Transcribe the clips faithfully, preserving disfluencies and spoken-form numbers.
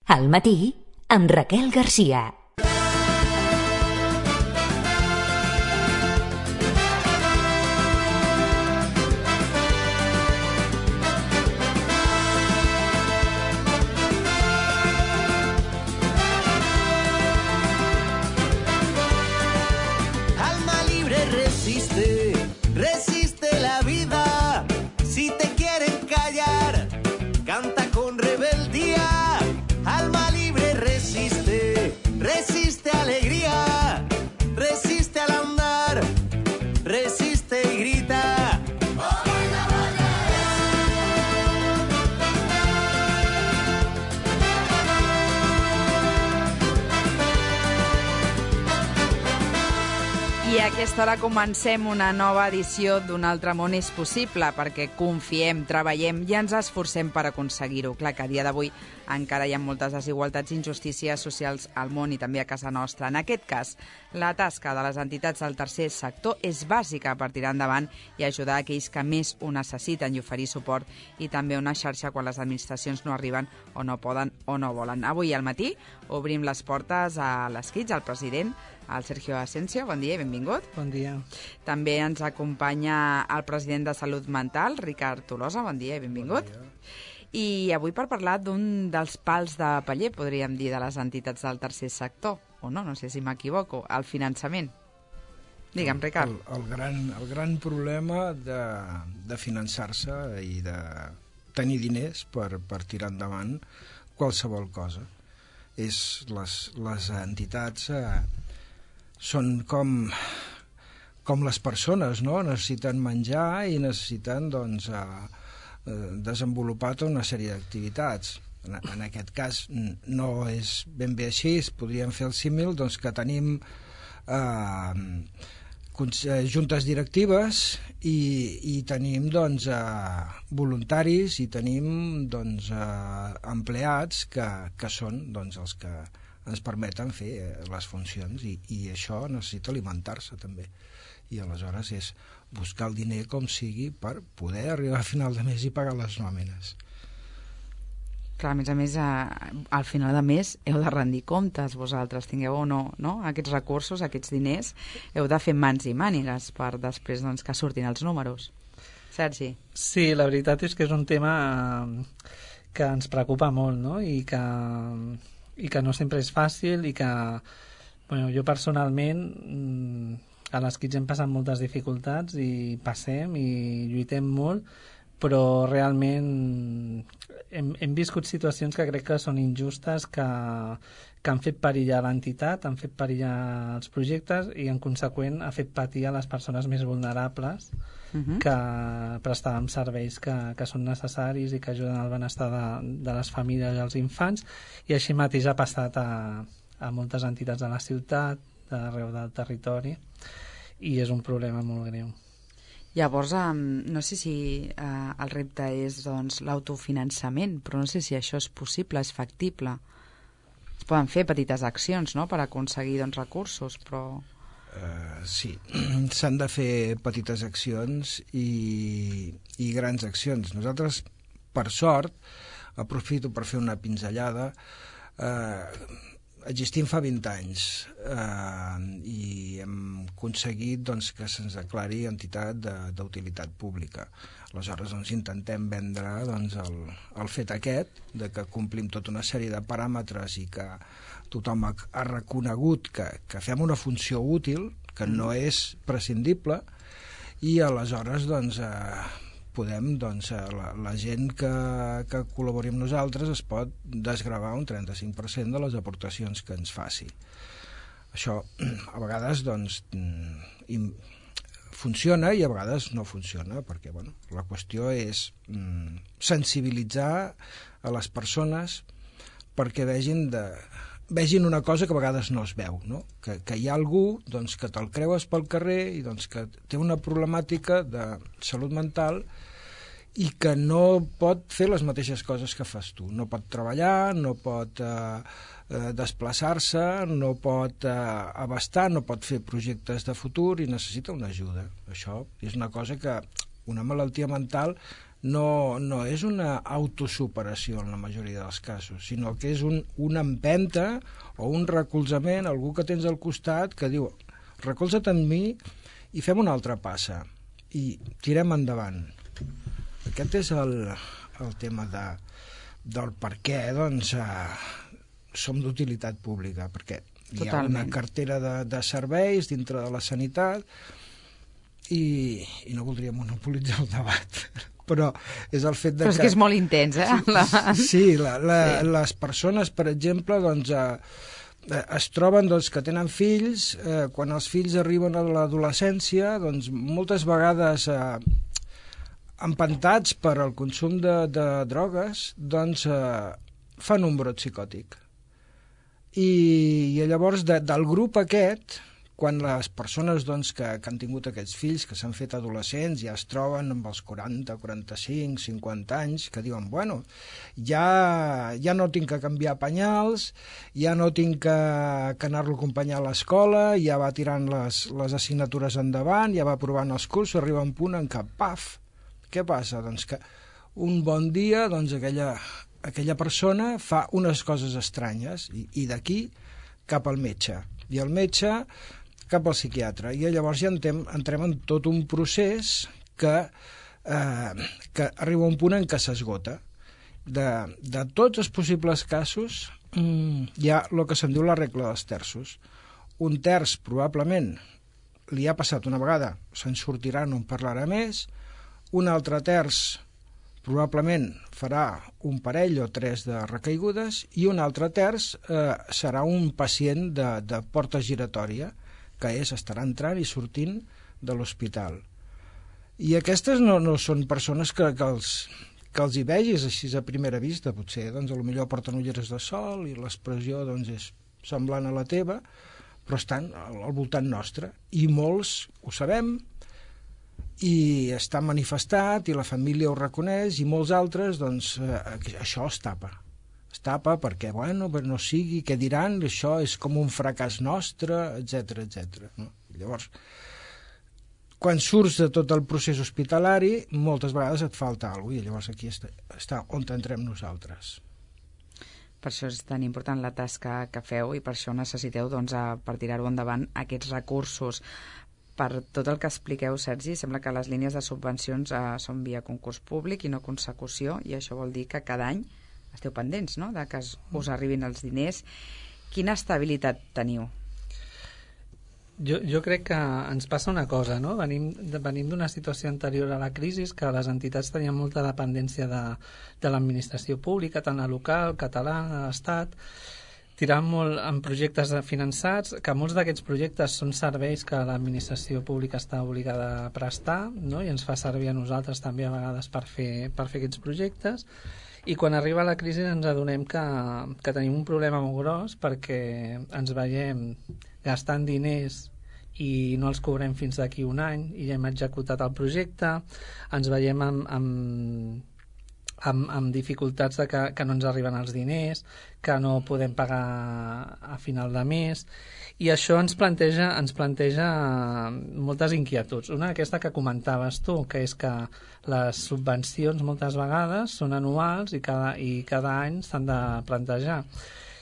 Al matí, amb Raquel Garcia. Alma libre resiste, resiste la vida. Si te quieren callar, canta con rebeldía. Alma libre resiste, resiste alegría, resiste al andar, resiste y grita. I a aquesta hora comencem una nova edició d'Un altre món és possible, perquè confiem, treballem i ens esforcem per aconseguir-ho. Clar que a dia d'avui encara hi ha moltes desigualtats i injustícies socials al món i també a casa nostra. En aquest cas, la tasca de les entitats del tercer sector és bàsica per tirar endavant i ajudar aquells que més ho necessiten i oferir suport, i també una xarxa quan les administracions no arriben o no poden o no volen. Avui al matí obrim les portes a les Kids, al president, el Sergio Asensio. Bon dia i benvingut. Bon dia. També ens acompanya el president de Salut Mental, Ricard Tolosa. Bon dia i benvingut. Bon dia. I avui per parlar d'un dels pals de paller, podríem dir, de les entitats del tercer sector, o no, no sé si m'equivoco, el finançament. Digue'm, Ricard. El, el, gran, el gran problema de, de finançar-se i de tenir diners per, per tirar endavant qualsevol cosa. És les, les entitats eh, són com, com les persones, no? Necessiten menjar i necessiten, doncs, eh, desenvolupar tota una sèrie d'activitats. En, en aquest cas no és ben bé així, podríem fer el símil, doncs, que tenim eh, juntes directives i, i tenim, doncs, eh, voluntaris i tenim, doncs, eh, empleats que, que són, doncs, els que ens permeten fer les funcions, i, i això necessita alimentar-se també, i aleshores és buscar el diner com sigui per poder arribar a final de mes i pagar les nòmines. Clar, a més a més, a, al final de mes heu de rendir comptes vosaltres, tingueu o no, no aquests recursos, aquests diners, heu de fer mans i mànigues per després, doncs, que surtin els números. Sergi? Sí, la veritat és que és un tema que ens preocupa molt, no? I que, i que no sempre és fàcil, i que, bueno, jo personalment a les Kids hem passat moltes dificultats i passem i lluitem molt, però realment hem, hem viscut situacions que crec que són injustes, que, que han fet perillar l'entitat, han fet perillar els projectes i en conseqüent ha fet patir a les persones més vulnerables uh-huh. que prestàvem serveis que, que són necessaris i que ajuden al benestar de, de les famílies i els infants, i així mateix ha passat a, a moltes entitats de la ciutat, d'arreu del territori, i és un problema molt greu. Llavors, um, no sé si uh, el repte és, doncs, l'autofinançament, però no sé si això és possible, és factible. Es poden fer petites accions, no?, per aconseguir, doncs, recursos, però... Uh, sí, s'han de fer petites accions i, i grans accions. Nosaltres, per sort, aprofito per fer una pinzellada, eh, existim fa vint anys eh, i hem aconseguit, doncs, que se'ns declari entitat d'utilitat pública. Aleshores, doncs, intentem vendre, doncs, el, el fet aquest de que complim tota una sèrie de paràmetres i que tothom ha, ha reconegut que, que fem una funció útil, que no és prescindible, i aleshores, doncs, eh, podem, doncs, la, la gent que, que col·labori amb nosaltres es pot desgravar un trenta-cinc per cent de les aportacions que ens faci. Això a vegades, doncs, im, funciona i a vegades no funciona, perquè, bueno, la qüestió és mm, sensibilitzar a les persones perquè vegin, de, vegin una cosa que a vegades no es veu, no? Que, que hi ha algú, doncs, que te'l creues pel carrer i, doncs, que té una problemàtica de salut mental i que no pot fer les mateixes coses que fas tu. No pot treballar, no pot eh, eh, desplaçar-se, no pot eh, abastar, no pot fer projectes de futur i necessita una ajuda. Això és una cosa que una malaltia mental no, no és una autosuperació en la majoria dels casos, sinó que és un, una empenta o un recolzament, algú que tens al costat que diu, recolza't en mi i fem una altra passa i tirem endavant. Aquest és el, el tema de, del per què doncs, eh, som d'utilitat pública, perquè hi ha Totalment. una cartera de, de serveis dintre de la sanitat i, i no voldria monopolitzar el debat, però és el fet de Però és que... que és molt intens, eh? La... Sí, la, la, Sí. les persones, per exemple, doncs, eh, es troben doncs, que tenen fills, eh, quan els fills arriben a l'adolescència, doncs, moltes vegades eh, empantats per al consum de, de drogues, doncs, eh, fan un brot psicòtic. I, i llavors de, del grup aquest, quan les persones doncs, que, que han tingut aquests fills, que s'han fet adolescents, ja es troben amb els quaranta, quaranta-cinc, cinquanta anys, que diuen, bueno, ja, ja no tinc que canviar penyals, ja no tinc que, que anar-lo a acompanyar a l'escola, ja va tirant les, les assignatures endavant, ja va provant els cursos, arriba un punt en què, paf, què passa? Doncs que un bon dia doncs, aquella, aquella persona fa unes coses estranyes i, i d'aquí cap al metge. I el metge cap al psiquiatre. I llavors ja entrem, entrem en tot un procés que, eh, que arriba a un punt en què s'esgota. De, de tots els possibles casos mm, hi ha el que se'n diu la regla dels terços. Un terç probablement li ha passat una vegada, se'n sortirà, no en parlarà més. Un altre terç probablement farà un parell o tres de recaigudes i un altre terç eh, serà un pacient de, de porta giratòria, que és estarà entrant i sortint de l'hospital. I aquestes no, no són persones que, que, els, que els hi vegis així a primera vista, potser doncs, a lo millor porten ulleres de sol i l'expressió doncs, és semblant a la teva, però estan al, al voltant nostre, i molts ho sabem, i està manifestat, i la família ho reconeix, i molts altres, doncs, eh, això es tapa. Es tapa perquè, bueno, no sigui, què diran, això és com un fracàs nostre, etcètera, etcètera. No? Llavors, quan surts de tot el procés hospitalari, moltes vegades et falta alguna cosa, i llavors aquí està, està on entrem nosaltres. Per això és tan important la tasca que feu i per això necessiteu, doncs, a, per tirar-ho endavant, aquests recursos. Per tot el que expliqueu, Sergi, sembla que les línies de subvencions eh, són via concurs públic i no consecució, i això vol dir que cada any esteu pendents, no?, de que us arribin els diners. Quina estabilitat teniu? Jo, jo crec que ens passa una cosa, no? Venim, venim d'una situació anterior a la crisi, que les entitats tenien molta dependència de, de l'administració pública, tant la local, catalana, l'estat, tirant molt en projectes finançats, que molts d'aquests projectes són serveis que l'administració pública està obligada a prestar, no? I ens fa servir a nosaltres també a vegades per fer, per fer aquests projectes. I quan arriba la crisi ens adonem que, que tenim un problema molt gros perquè ens veiem gastant diners i no els cobrem fins d'aquí un any i ja hem executat el projecte, ens veiem amb, amb, amb, amb dificultats de que, que no ens arriben els diners, que no podem pagar a final de mes, i això ens planteja, ens planteja moltes inquietuds. Una aquesta que comentaves tu, que és que les subvencions moltes vegades són anuals i cada, i cada any s'han de plantejar.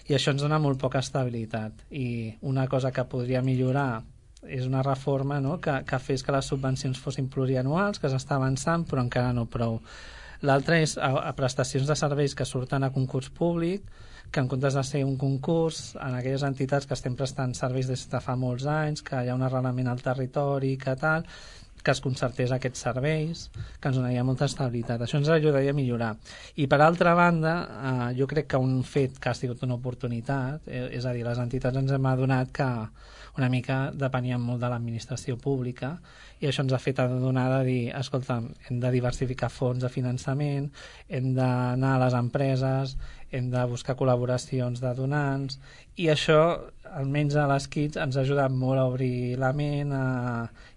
I això ens dona molt poca estabilitat. I una cosa que podria millorar és una reforma, no?, que, que fes que les subvencions fossin plurianuals, que s'està avançant, però encara no prou. L'altre és a, a prestacions de serveis que surten a concurs públic, que en comptes de ser un concurs, en aquelles entitats que estem prestant serveis des de fa molts anys, que hi ha un arrelament al territori, que tal, que es concertés aquests serveis, que ens donaria molta estabilitat. Això ens ajudaria a millorar. I per altra banda, eh, jo crec que un fet que ha sigut una oportunitat, eh, és a dir, les entitats ens hem adonat que una mica depeníem molt de l'administració pública i això ens ha fet adonar de dir, escolta, hem de diversificar fons de finançament, hem d'anar a les empreses, hem de buscar col·laboracions de donants, i això, almenys a les Kids, ens ha ajudat molt a obrir la ment a,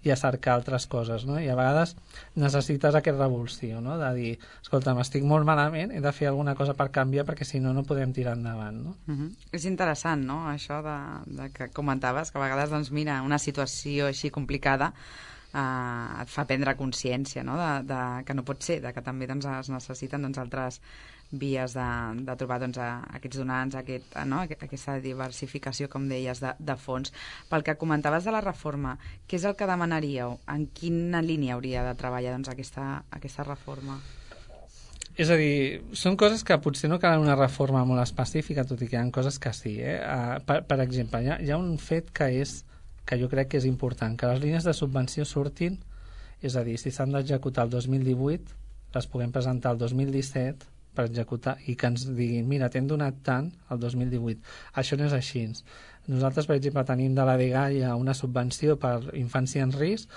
i a cercar altres coses, no? I a vegades necessites aquest revulsió, no?, de dir, escolta, m'estic molt malament, he de fer alguna cosa per canviar perquè si no, no podem tirar endavant, no? Uh-huh. És interessant, no?, això de, de que comentaves, que a vegades, doncs mira, una situació així complicada eh, et fa prendre consciència, no? de, de, que no pot ser, de que també doncs, es necessiten doncs, altres vies de, de trobar doncs, a, aquests donants, aquest, no? aquesta diversificació, com deies, de, de fons. Pel que comentaves de la reforma, què és el que demanaríeu? En quina línia hauria de treballar doncs, aquesta, aquesta reforma? És a dir, són coses que potser no calen una reforma molt específica, tot i que hi ha coses que sí. Eh? Uh, per, per exemple, hi ha, hi ha un fet que, és, que jo crec que és important, que les línies de subvenció surtin, és a dir, si s'han d'executar el dos mil divuit, les puguem presentar el dos mil disset, per executar, i que ens diguin mira, t'hem donat tant el dos mil divuit. Això no és així. Nosaltres, per exemple, tenim de la dgaia una subvenció per infància en risc,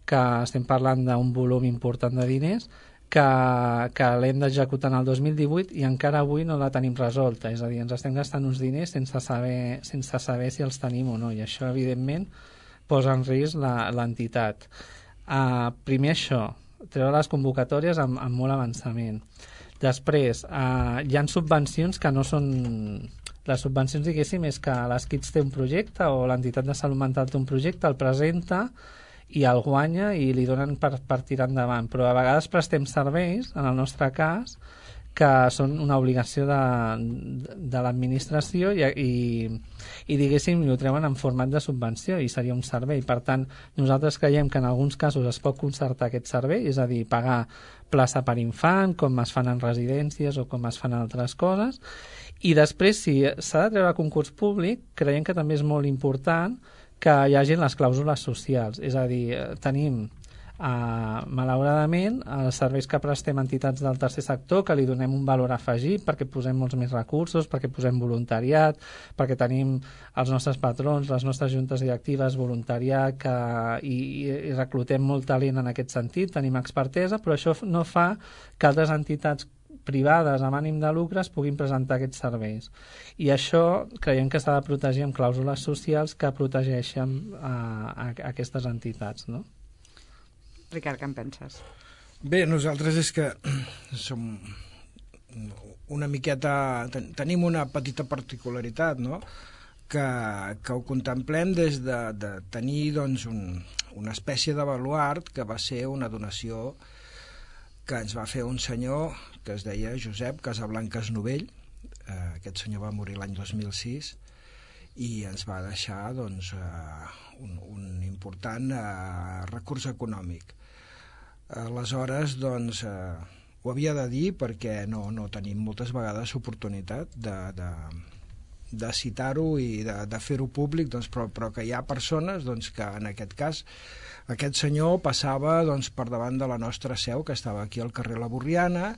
que estem parlant d'un volum important de diners, que, que l'hem d'executar en el dos mil divuit i encara avui no la tenim resolta. És a dir, ens estem gastant uns diners sense saber, sense saber si els tenim o no, i això, evidentment, posa en risc l'entitat. Uh, primer això, treure les convocatòries amb, amb molt avançament. Després, eh, hi ha subvencions que no són... Les subvencions, diguéssim, és que l'Skids té un projecte o l'entitat de salut mental té un projecte, el presenta i el guanya i li donen per, per tirar endavant. Però a vegades prestem serveis, en el nostre cas, que són una obligació de, de l'administració i, i, i diguéssim, ho treuen en format de subvenció i seria un servei. Per tant, nosaltres creiem que en alguns casos es pot concertar aquest servei, és a dir, pagar plaça per infant, com es fan en residències o com es fan altres coses, i després, si s'ha de treure concurs públic, creiem que també és molt important que hi hagi les clàusules socials, és a dir, tenim Uh, malauradament, els serveis que prestem a entitats del tercer sector, que li donem un valor afegit perquè posem molts més recursos, perquè posem voluntariat, perquè tenim els nostres patrons, les nostres juntes directives, voluntariat, que, i, i reclutem molt talent en aquest sentit, tenim expertesa, però això no fa que altres entitats privades amb ànim de lucre es puguin presentar aquests serveis. I això creiem que s'ha de protegir amb clàusules socials que protegeixen uh, a, a aquestes entitats, no? Ricard, què en penses? Bé, nosaltres és que som una miqueta... Ten, tenim una petita particularitat, no?, que, que ho contemplem des de, de tenir doncs, un, una espècie de baluart que va ser una donació que ens va fer un senyor que es deia Josep Casablancas Novell. Eh, aquest senyor va morir l'any dos mil sis i ens va deixar doncs, eh, un, un important eh, recurs econòmic. Aleshores, doncs, eh, ho havia de dir perquè no, no tenim moltes vegades oportunitat de, de, de citar-ho i de, de fer-ho públic, doncs, però, però que hi ha persones doncs, que en aquest cas aquest senyor passava doncs, per davant de la nostra seu, que estava aquí al carrer La Borriana,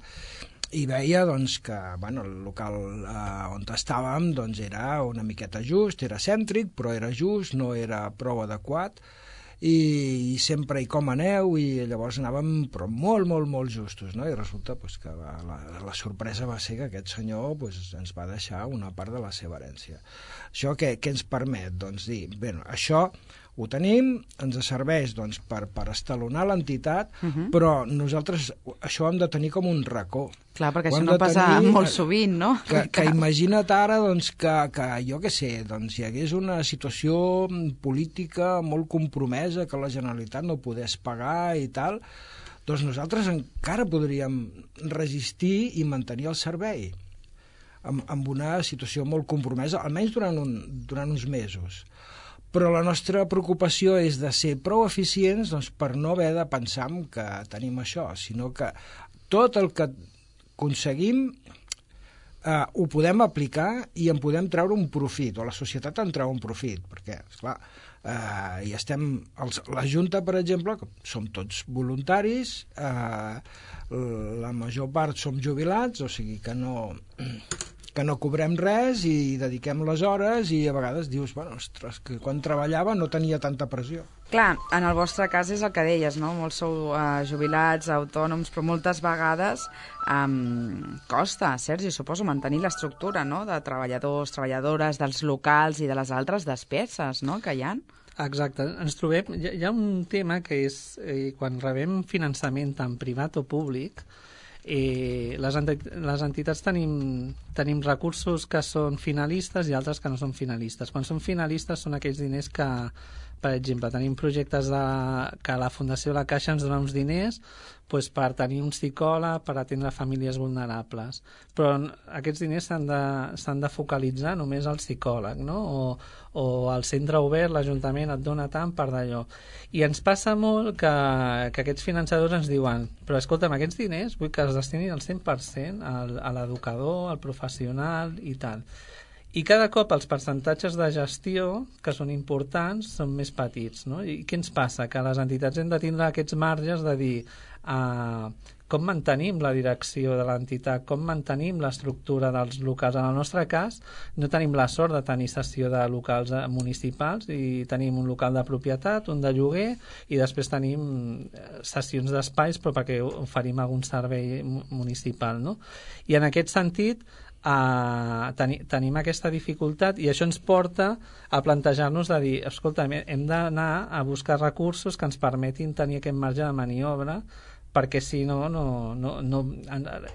i veia doncs, que bueno, el local eh, on estàvem doncs, era una miqueta just, era cèntric, però era just, no era prou adequat, i, i sempre hi com aneu, i llavors anàvem però molt, molt, molt justos, no? I resulta pues, que la, la, la sorpresa va ser que aquest senyor pues, ens va deixar una part de la seva herència. Això què, què ens permet? Doncs dir, bé, això ho tenim, ens serveix doncs, per, per estalonar l'entitat, uh-huh. però nosaltres això hem de tenir com un racó. Clar, perquè això no passa tenir, molt sovint, no? Que, que imagina't ara doncs, que, que jo què sé, doncs, hi hagués una situació política molt compromesa que la Generalitat no podés pagar i tal, doncs nosaltres encara podríem resistir i mantenir el servei amb, amb una situació molt compromesa, almenys durant, un, durant uns mesos. Però la nostra preocupació és de ser prou eficients doncs, per no haver de pensar que tenim això, sinó que tot el que aconseguim eh, ho podem aplicar i en podem treure un profit, o la societat en treu un profit, perquè, esclar, eh, i estem... Els, la Junta, per exemple, som tots voluntaris, eh, la major part som jubilats, o sigui que no... que no cobrem res i dediquem les hores i a vegades dius, bueno, ostres, que quan treballava no tenia tanta pressió. Clar, en el vostre cas és el que deies, no? Molts sou uh, jubilats, autònoms, però moltes vegades um, costa, Sergi, suposo, mantenir l'estructura, no?, de treballadors, treballadores, dels locals i de les altres despeses, no?, que hi ha. Exacte. Ens trobem... Hi ha un tema que és, eh, quan rebem finançament tant privat o públic, Eh, les, enti les entitats tenim, tenim recursos que són finalistes i altres que no són finalistes. Quan són finalistes són aquells diners que, per exemple, tenim projectes de, que la Fundació La Caixa ens dona uns diners pues, per tenir un psicòleg, per atendre famílies vulnerables. Però aquests diners s'han de, s'han de focalitzar només al psicòleg, no? O, o al centre obert, l'Ajuntament et dona tant per d'allò. I ens passa molt que, que aquests finançadors ens diuen però escolta'm, aquests diners vull que es destinin al cent per cent al, a l'educador, al professional i tal. I cada cop els percentatges de gestió, que són importants, són més petits, no? I què ens passa? Que les entitats hem de tindre aquests marges de dir uh, com mantenim la direcció de l'entitat, com mantenim l'estructura dels locals. En el nostre cas, no tenim la sort de tenir cessió de locals municipals i tenim un local de propietat, un de lloguer, i després tenim cessions d'espais però perquè oferim algun servei municipal, no? I en aquest sentit, Uh, teni, tenim aquesta dificultat i això ens porta a plantejar-nos de dir, escolta, hem d'anar a buscar recursos que ens permetin tenir aquest marge de maniobra perquè si no, no, no, no...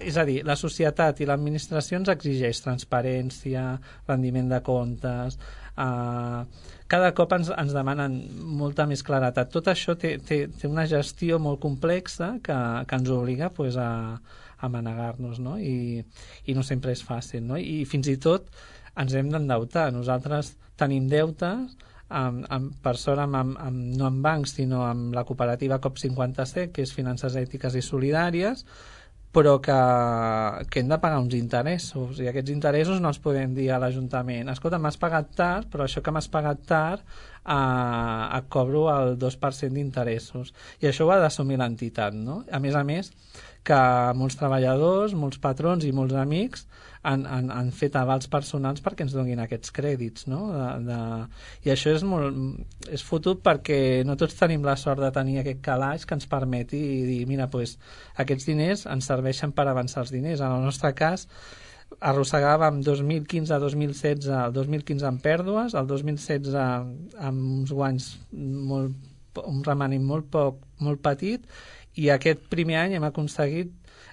És a dir, la societat i l'administració ens exigeix transparència, rendiment de comptes... Uh, cada cop ens, ens demanen molta més claretat. Tot això té, té, té una gestió molt complexa que, que ens obliga pues, a, a manegar-nos, no? I, i no sempre és fàcil, no? I fins i tot ens hem d'endeutar. Nosaltres tenim deutes, amb, amb, per sort amb, amb, amb, no amb bancs sinó amb la cooperativa C O P cinquanta-set, que és Finances Ètiques i Solidàries, però que, que hem de pagar uns interessos i aquests interessos no els podem dir a l'Ajuntament, escolta, m'has pagat tard però això que m'has pagat tard eh, et cobro el dos per cent d'interessos i això ho ha d'assumir l'entitat, no? A més a més que molts treballadors, molts patrons i molts amics han, han, han fet avals personals perquè ens donin aquests crèdits, no? De, de... I això és molt és fotut perquè no tots tenim la sort de tenir aquest calaix que ens permeti dir, mira, pues, aquests diners ens serveixen per avançar els diners. En el nostre cas arrossegàvem dos mil quinze a dos mil setze, el dos mil quinze amb pèrdues, el dos mil setze amb uns guanys molt, un remanent molt poc, molt petit, i aquest primer any hem aconseguit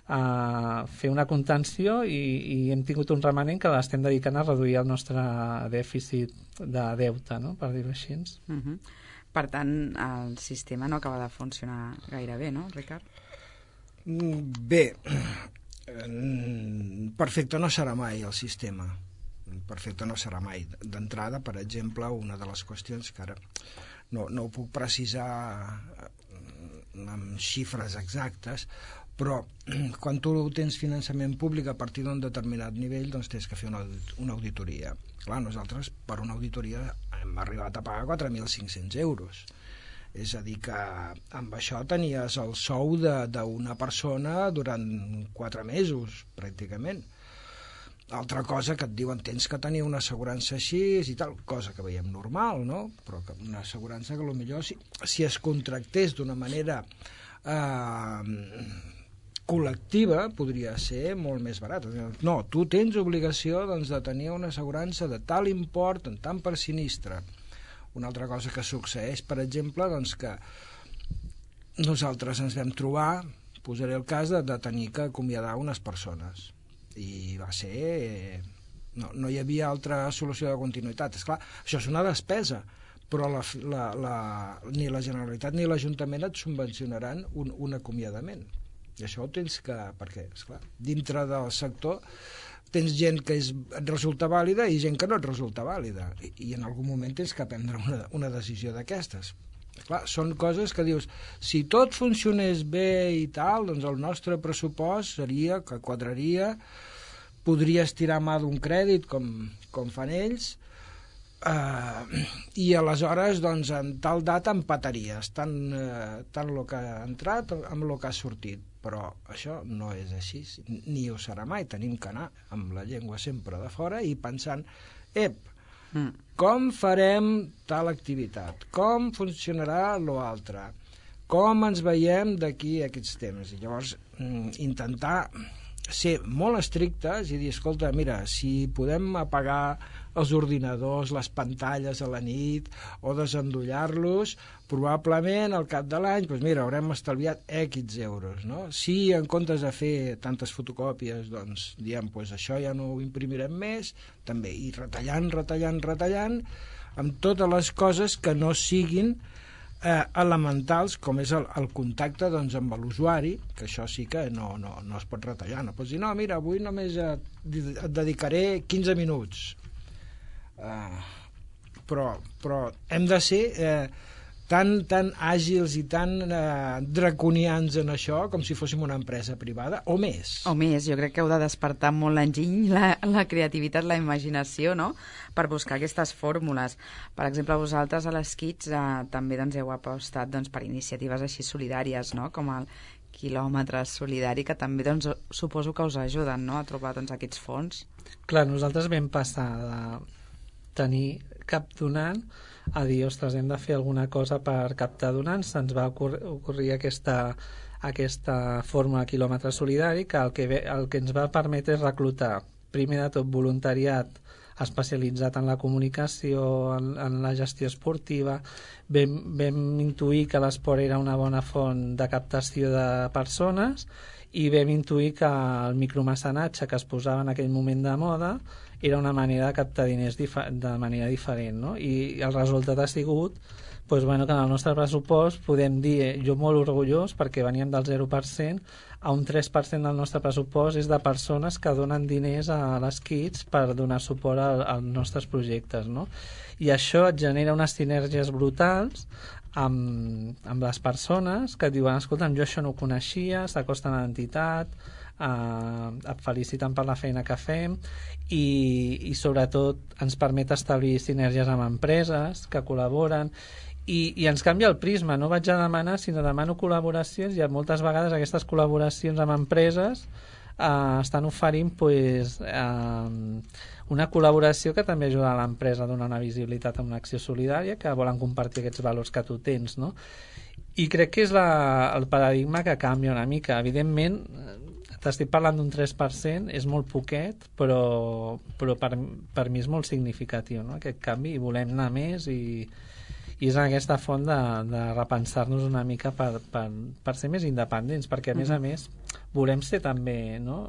uh, fer una contenció i, i hem tingut un remanent que l'estem dedicant a reduir el nostre dèficit de deute, no? Per dir-ho així. Uh-huh. Per tant, el sistema no acaba de funcionar gaire bé, no, Ricard? Bé, perfecte no serà mai el sistema. Perfecte no serà mai. D'entrada, per exemple, una de les qüestions que ara no, no ho puc precisar amb xifres exactes, però quan tu tens finançament públic a partir d'un determinat nivell, doncs tens que fer una, una auditoria. Clar, nosaltres per una auditoria hem arribat a pagar quatre mil cinc-cents euros. És a dir, que amb això tenies el sou d'una persona durant quatre mesos, pràcticament. Altra cosa que et diuen tens que tenir una assegurança així i tal, cosa que veiem normal, no? Però que una assegurança que potser si, si es contractés d'una manera eh, col·lectiva podria ser molt més barat. No, tu tens obligació doncs, de tenir una assegurança de tal import en tant per sinistre. Una altra cosa que succeeix, per exemple, doncs que nosaltres ens vam trobar, posaré el cas de, de tenir que acomiadar unes persones i va ser... No, no hi havia altra solució de continuïtat. Esclar, això és una despesa, però la, la, la, ni la Generalitat ni l'Ajuntament et subvencionaran un, un acomiadament. I això ho tens que... Perquè, esclar, dintre del sector tens gent que és, et resulta vàlida i gent que no et resulta vàlida. I, i en algun moment tens que prendre una, una decisió d'aquestes. Clar, són coses que dius, si tot funcionés bé i tal, doncs el nostre pressupost seria, que quadraria, podries tirar mà d'un crèdit, com, com fan ells, eh, i aleshores, doncs, en tal data empataries, tant, eh, tant el que ha entrat amb el que ha sortit. Però això no és així, ni ho serà mai. Tenim que anar amb la llengua sempre de fora i pensant, ep, Mm. com farem tal activitat, com funcionarà l'altre, com ens veiem d'aquí a aquests temps. I llavors mm, intentar ser molt estrictes i dir, escolta, mira, si podem apagar els ordinadors, les pantalles a la nit, o desendollar-los, probablement al cap de l'any, doncs mira, haurem estalviat X euros, no? Si en comptes de fer tantes fotocòpies, doncs diem, doncs això ja no ho imprimirem més, també, i retallant, retallant, retallant, amb totes les coses que no siguin eh, elementals, com és el, el contacte doncs, amb l'usuari, que això sí que no, no, no es pot retallar. No pots dir, no, mira, avui només et, et dedicaré quinze minuts. Eh, però, però hem de ser eh, tan, tan àgils i tan eh, draconians en això com si fóssim una empresa privada, o més. O més, jo crec que heu de despertar molt l'enginy, la, la creativitat, la imaginació, no?, per buscar aquestes fórmules. Per exemple, vosaltres a les Kids eh, també doncs, heu apostat doncs, per iniciatives així solidàries, no?, com el quilòmetre solidari, que també doncs, suposo que us ajuden, no?, a trobar doncs, aquests fons. Clar, nosaltres vam passar de tenir cap donant a dir, ostres, hem de fer alguna cosa per captar donants. Se'ns va ocurrir, ocurrir aquesta, aquesta fórmula quilòmetre solidari, que el, que el que ens va permetre és reclutar, primer de tot, voluntariat especialitzat en la comunicació, en, en la gestió esportiva. Vam, vam intuir que l'esport era una bona font de captació de persones i vam intuir que el micromecenatge que es posava en aquell moment de moda era una manera de captar diners de manera diferent, no? I el resultat ha sigut doncs, bueno, que en el nostre pressupost podem dir, eh, jo molt orgullós, perquè veníem del zero per cent, a un tres per cent del nostre pressupost és de persones que donen diners a les Kids per donar suport a, als nostres projectes, no? I això et genera unes sinergies brutals amb, amb les persones que et diuen, escolta'm, jo això no ho coneixia, s'acosten a l'entitat, eh, et feliciten per la feina que fem i, i sobretot ens permet establir sinergies amb empreses que col·laboren i, i ens canvia el prisma, no vaig a demanar sinó demano col·laboracions i moltes vegades aquestes col·laboracions amb empreses eh, estan oferint pues, eh, una col·laboració que també ajuda a l'empresa a donar una visibilitat a una acció solidària, que volen compartir aquests valors que tu tens, no? I crec que és la, el paradigma que canvia una mica. Evidentment, t'estic parlant d'un tres per cent, és molt poquet, però, però per, per mi és molt significatiu, no? Aquest canvi, i volem anar més i, i és en aquesta font de, de repensar-nos una mica per, per, per ser més independents, perquè a més a més volem ser també, no?,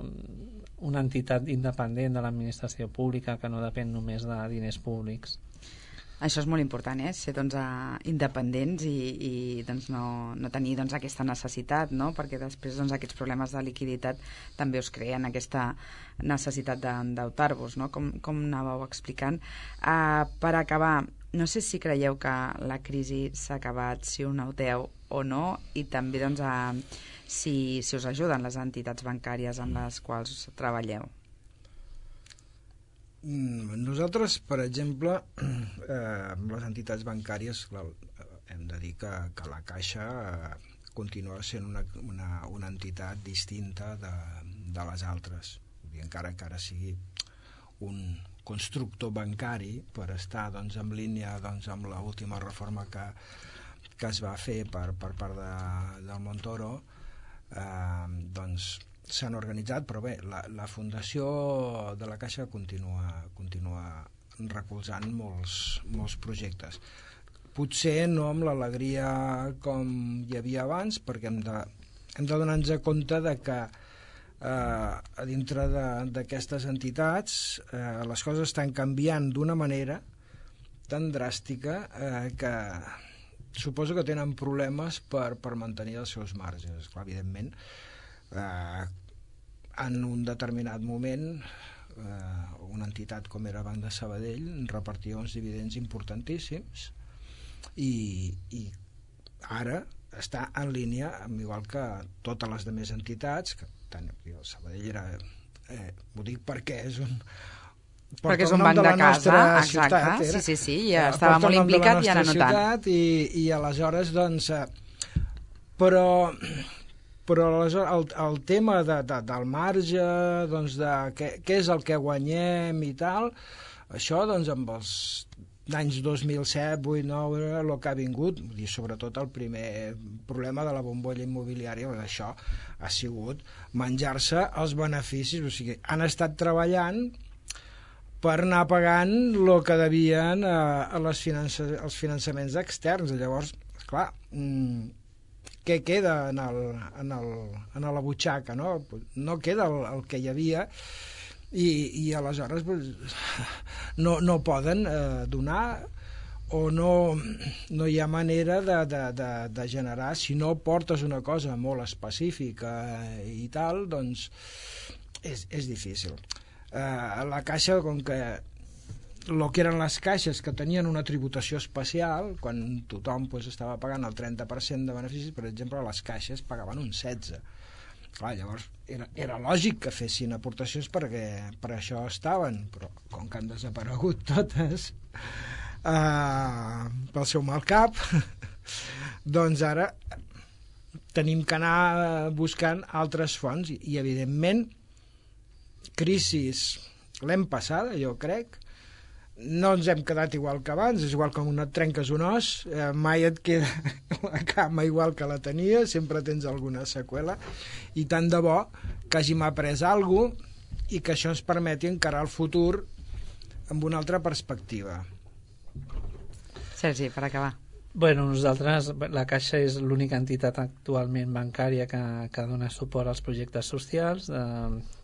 una entitat independent de l'administració pública que no depèn només de diners públics. Això és molt important, eh? Ser doncs, independents i, i doncs, no, no tenir doncs, aquesta necessitat, no? Perquè després doncs, aquests problemes de liquiditat també us creen aquesta necessitat d'endeutar-vos, no? Com, com anàveu explicant. Uh, per acabar, no sé si creieu que la crisi s'ha acabat, si ho noteu o no, i també doncs, uh, si, si us ajuden les entitats bancàries amb les quals treballeu. Nosaltres, per exemple, eh, amb les entitats bancàries, clar, hem de dir que, que la Caixa eh, continua sent una, una, una entitat distinta de, de les altres. Vull dir, encara que ara sigui un constructor bancari per estar doncs, en línia doncs, amb l'última reforma que, que es va fer per, per part de, del Montoro, eh, doncs s'han organitzat, però bé, la, la fundació de la Caixa continua, continua recolzant molts, molts projectes. Potser no amb l'alegria com hi havia abans, perquè hem de, hem de donar-nos compte de que eh, a dintre d'aquestes entitats eh, les coses estan canviant d'una manera tan dràstica eh, que suposo que tenen problemes per, per mantenir els seus marges. Clar, evidentment, Eh, en un determinat moment eh, una entitat com era Banc de Sabadell repartia uns dividends importantíssims i, i ara està en línia amb igual que totes les demés entitats que tant, el Sabadell era eh, ho dic perquè és un perquè és un banc de, de casa, exacte, ciutat, sí, sí, sí, ja estava molt implicat i ara no tant. I, i aleshores doncs eh, però però el, el tema de, de, del marge, doncs de què, què és el que guanyem i tal, això doncs amb els anys dos mil set, vuit, nou, el que ha vingut, i sobretot el primer problema de la bombolla immobiliària, això ha sigut menjar-se els beneficis, o sigui, han estat treballant per anar pagant el que devien a, a les finança, als finançaments externs. Llavors, clar, mmm, què queda en, el, en, el, en la butxaca, no? No queda el, el que hi havia i, i aleshores pues, no, no poden eh, donar o no, no hi ha manera de, de, de, de generar, si no portes una cosa molt específica i tal, doncs és, és difícil. Eh, la Caixa, com que el que eren les caixes que tenien una tributació especial, quan tothom pues, estava pagant el trenta per cent de beneficis, per exemple, les caixes pagaven un setze per cent. Clar, llavors era, era lògic que fessin aportacions perquè per això estaven, però com que han desaparegut totes Uh, pel seu mal cap doncs ara tenim que anar buscant altres fonts i, i evidentment crisis l'hem passada, jo crec, no ens hem quedat igual que abans, és igual com un et trenques un os, eh, mai et queda la cama igual que la tenia, sempre tens alguna seqüela, i tant de bo que hàgim après alguna cosa i que això ens permeti encarar el futur amb una altra perspectiva. Sergi, per acabar. Bueno, nosaltres, la Caixa és l'única entitat actualment bancària que, que dona suport als projectes socials, eh,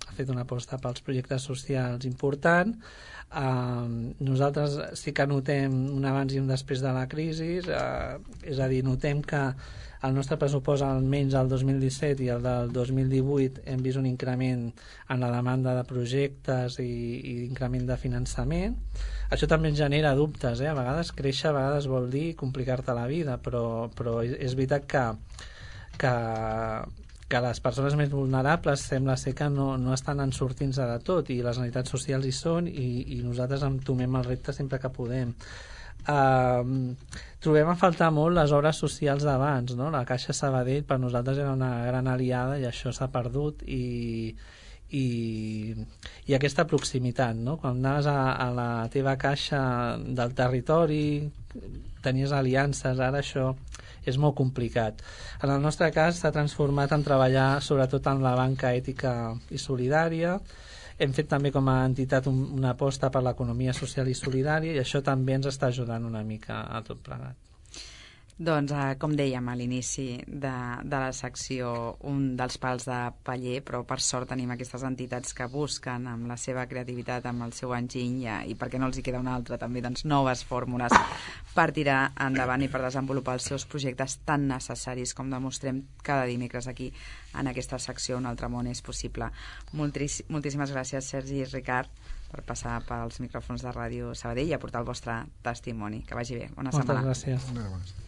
ha fet una aposta pels projectes socials important. Eh, nosaltres sí que notem un abans i un després de la crisi, eh, és a dir, notem que el nostre pressupost, almenys el dos mil disset i el del dos mil divuit, hem vist un increment en la demanda de projectes i, i increment de finançament. Això també ens genera dubtes, eh? A vegades créixer, a vegades vol dir complicar-te la vida, però, però és veritat que, que, que les persones més vulnerables sembla ser que no, no estan en sortint-se de tot, i les entitats socials hi són, i, i nosaltres entomem el repte sempre que podem. Uh, trobem a faltar molt les obres socials d'abans, no? La Caixa Sabadell per nosaltres era una gran aliada i això s'ha perdut, i, i, i aquesta proximitat, no? Quan anaves a, a la teva caixa del territori tenies aliances, ara això és molt complicat. En el nostre cas s'ha transformat en treballar sobretot en la banca ètica i solidària. Hem fet també com a entitat un, una aposta per l'economia social i solidària, i això també ens està ajudant una mica a tot plegat. Doncs, eh, com dèiem a l'inici de, de la secció, un dels pals de paller, però per sort tenim aquestes entitats que busquen amb la seva creativitat, amb el seu enginy, i, i perquè no els hi queda una altra, també doncs, noves fórmules per tirar endavant i per desenvolupar els seus projectes tan necessaris com demostrem cada dimecres aquí en aquesta secció Un altre món és possible. Moltíssim, moltíssimes gràcies, Sergi i Ricard, per passar pels micròfons de Ràdio Sabadell i aportar el vostre testimoni. Que vagi bé. Bona setmana. Moltes gràcies.